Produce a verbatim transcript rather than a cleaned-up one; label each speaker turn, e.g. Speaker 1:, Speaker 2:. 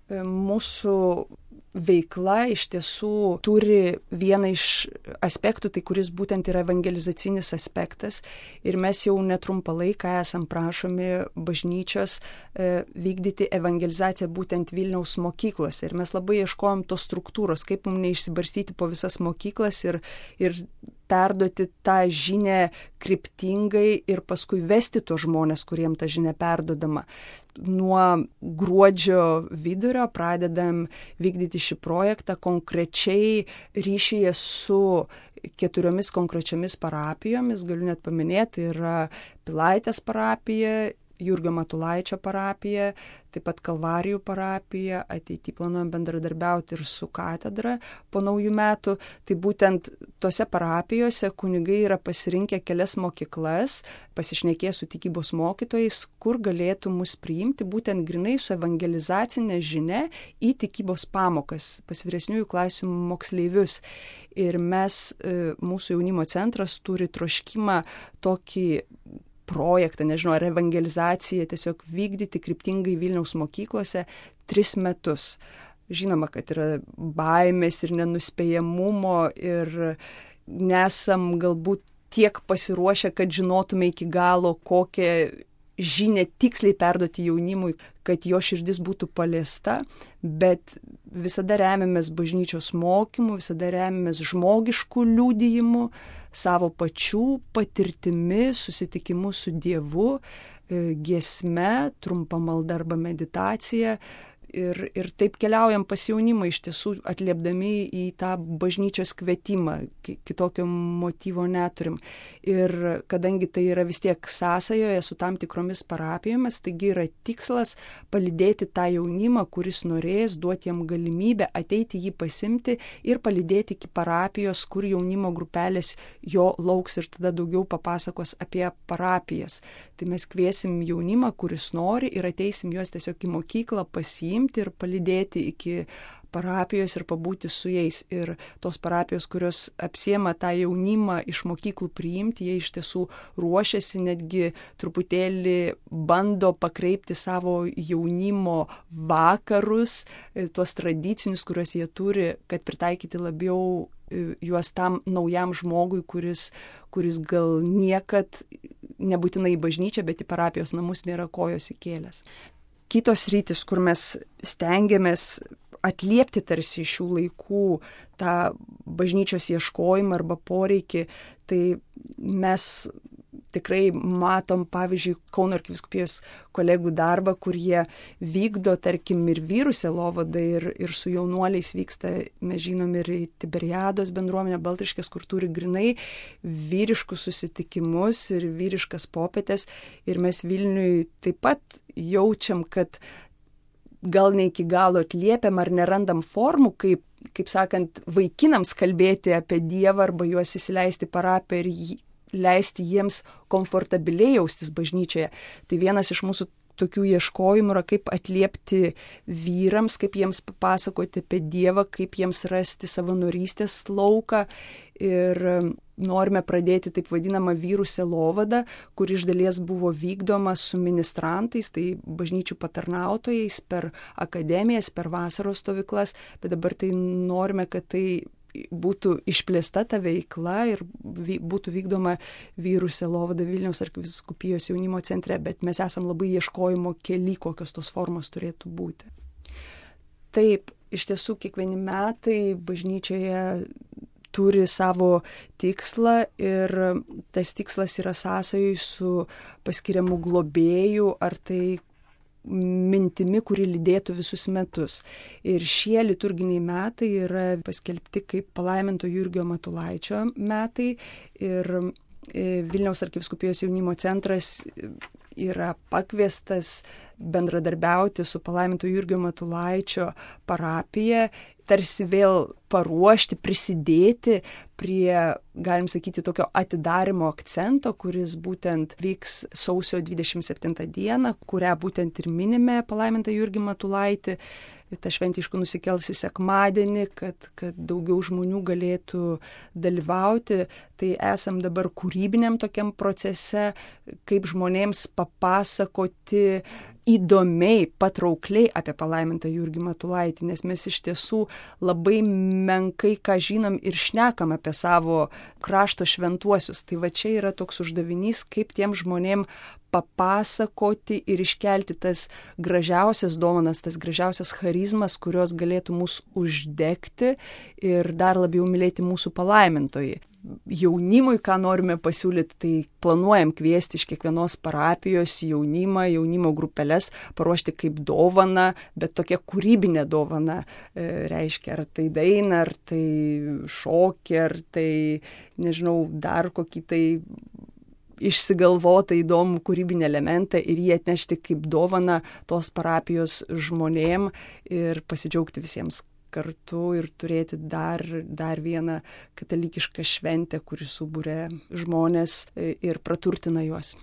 Speaker 1: mūsų veikla iš tiesų turi vieną iš aspektų, tai kuris būtent yra evangelizacinis aspektas. Ir mes jau netrumpą laiką esam prašomi bažnyčios e, vykdyti evangelizaciją būtent Vilniaus mokyklose. Ir mes labai ieškojom tos struktūros, kaip mums neišsibarstyti po visas mokyklas ir, ir perduoti tą žinią kryptingai ir paskui vesti tos žmonės, kuriem ta žinia perdodama. Nuo gruodžio vidurio pradedam vykdyti šį projektą konkrečiai ryšyje su keturiomis konkrečiomis parapijomis. Galiu net paminėti, yra Pilaitės parapija, Jurgio Matulaičio parapija, taip pat Kalvarijų parapija, ateity planuojam bendradarbiauti ir su katedra po naujų metų. Tai būtent tose parapijose kunigai yra pasirinkę kelias mokyklas, pasišnekėję su tikybos mokytojais, kur galėtų mus priimti būtent grinai su evangelizacinė žinia į tikybos pamokas pas vyresniųjų klasių moksleivius. Ir mes, mūsų jaunimo centras turi troškimą tokį projektą, nežinau, ar evangelizaciją tiesiog vykdyti kryptingai Vilniaus mokyklose tris metus. Žinoma, kad yra baimės ir nenuspėjamumo ir nesam galbūt tiek pasiruošę, kad žinotume iki galo, kokią žinią tiksliai perduoti jaunimui, kad jo širdis būtų paliesta, bet visada remiamės bažnyčios mokymu, visada remiamės žmogiškų liudijimų, savo pačių patirtimi, susitikimu su Dievu, giesme, trumpa malda arba meditacija. Ir, ir taip keliaujam pas jaunimą, iš tiesų atliepdami į tą bažnyčios kvietimą, kitokio motyvo neturim. Ir kadangi tai yra vis tiek sąsajoje su tam tikromis parapijomis, taigi yra tikslas palydėti tą jaunimą, kuris norės, duoti jam galimybę ateiti jį pasimti ir palydėti iki parapijos, kur jaunimo grupelės jo lauks ir tada daugiau papasakos apie parapijas. Tai mes kviesim jaunimą, kuris nori, ir ateisim juos tiesiog į mokyklą pasiimti ir palydėti iki parapijos ir pabūti su jais. Ir tos parapijos, kurios apsiema tą jaunimą iš mokyklų priimti, jie iš tiesų ruošiasi, netgi truputėlį bando pakreipti savo jaunimo vakarus, tuos tradicinius, kuriuos jie turi, kad pritaikyti labiau juos tam naujam žmogui, kuris, kuris gal niekad nebūtinai į bažnyčią, bet į parapijos namus nėra kojos įkėlęs. Kitos rytis, kur mes stengiamės atliepti tarsi šių laikų tą bažnyčios ieškojimą arba poreikį, tai mes tikrai matom, pavyzdžiui, Kauno arkivyskupijos kolegų darbą, kur jie vykdo, tarkim, ir vyrų sielovadą, ir, ir su jaunuoliais vyksta, mes žinom, ir į Tiberiados bendruomenę Baltriškės, kur turi grinai vyriškus susitikimus ir vyriškas popietės. Ir mes Vilniui taip pat jaučiam, kad gal ne iki galo atliepiam ar nerandam formų, kaip, kaip sakant, vaikinams kalbėti apie Dievą arba juos įsileisti parapiją ir jį leisti jiems komfortabiliai jaustis bažnyčioje. Tai vienas iš mūsų tokių ieškojimų yra, kaip atliepti vyrams, kaip jiems papasakoti apie Dievą, kaip jiems rasti savanorystės lauką. Ir norime pradėti taip vadinamą vyrų sielovadą, kur iš dalies buvo vykdoma su ministrantais, tai bažnyčių patarnautojais per akademijas, per vasaros stovyklas, bet dabar tai norime, kad tai būtų išplėsta ta veikla ir būtų vykdoma vyrų sielovada Vilniaus arkivyskupijos jaunimo centre, bet mes esam labai ieškojimo kely, kokios tos formos turėtų būti. Taip, iš tiesų kiekvieni metai bažnyčioje turi savo tikslą ir tas tikslas yra sąsajoj su paskiriamu globėju ar tai mintimi, kuri lydėtų visus metus. Ir šie liturginiai metai yra paskelbti kaip palaiminto Jurgio Matulaičio metai ir Vilniaus arkivyskupijos jaunimo centras yra pakviestas bendradarbiauti su palaiminto Jurgio Matulaičio parapija, tarsi vėl paruošti, prisidėti prie, galim sakyti, tokio atidarimo akcento, kuris būtent vyks sausio dvidešimt septintą dieną, kurią būtent ir minime palaimintą Jurgį Matulaitį. Ta šventė aišku nusikels į sekmadienį, kad, kad daugiau žmonių galėtų dalyvauti. Tai esam dabar kūrybiniam tokiam procese, kaip žmonėms papasakoti įdomiai, patraukliai apie palaimintą Jurgį Matulaitį, nes mes iš tiesų labai menkai ką žinom ir šnekam apie savo krašto šventuosius. Tai va čia yra toks uždavinys, kaip tiem žmonėm papasakoti ir iškelti tas gražiausias dovanas, tas gražiausias charizmas, kurios galėtų mus uždegti ir dar labiau mylėti mūsų palaimintojai. Jaunimui, ką norime pasiūlyti, tai planuojam kviesti iš kiekvienos parapijos jaunimą, jaunimo grupeles, paruošti kaip dovana, bet tokia kūrybinė dovana, e, reiškia, ar tai daina, ar tai šokį, ar tai, nežinau, dar kokį tai išsigalvotą įdomų kūrybinį elementą ir jį atnešti kaip dovana tos parapijos žmonėm ir pasidžiaugti visiems kartu ir turėti dar, dar vieną katalikišką šventę, kuri subūrė žmonės ir praturtina juos.